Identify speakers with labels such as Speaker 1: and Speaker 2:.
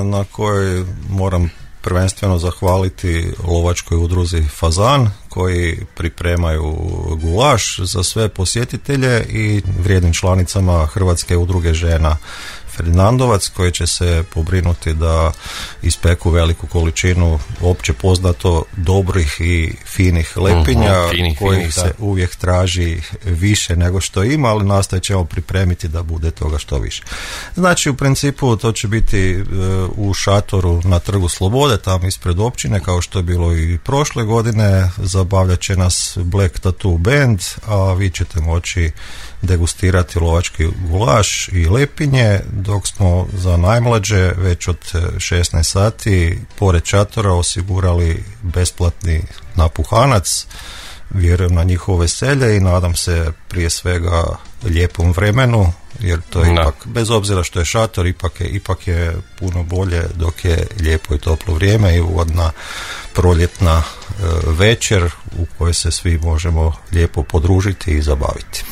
Speaker 1: na kojoj moram prvenstveno zahvaliti lovačkoj udruzi Fazan koji pripremaju gulaš za sve posjetitelje i vrijednim članicama Hrvatske udruge žena Ferdinandovac koji će se pobrinuti da ispeku veliku količinu opće poznato dobrih i finih lepinja kojih se uvijek traži više nego što ima, ali nastojat ćemo pripremiti da bude toga što više. Znači u principu to će biti u šatoru na Trgu Slobode, tamo ispred općine, kao što je bilo i prošle godine. Zabavljat će nas Black Tattoo Band, a vi ćete moći degustirati lovački gulaš i lepinje, dok smo za najmlađe već od 16 sati pored šatora osigurali besplatni napuhanac. Vjerujem na njihovo veselje i nadam se prije svega lijepom vremenu, jer to je ipak, bez obzira što je šator, ipak je puno bolje dok je lijepo i toplo vrijeme i ugodna proljetna večer u kojoj se svi možemo lijepo podružiti i zabaviti.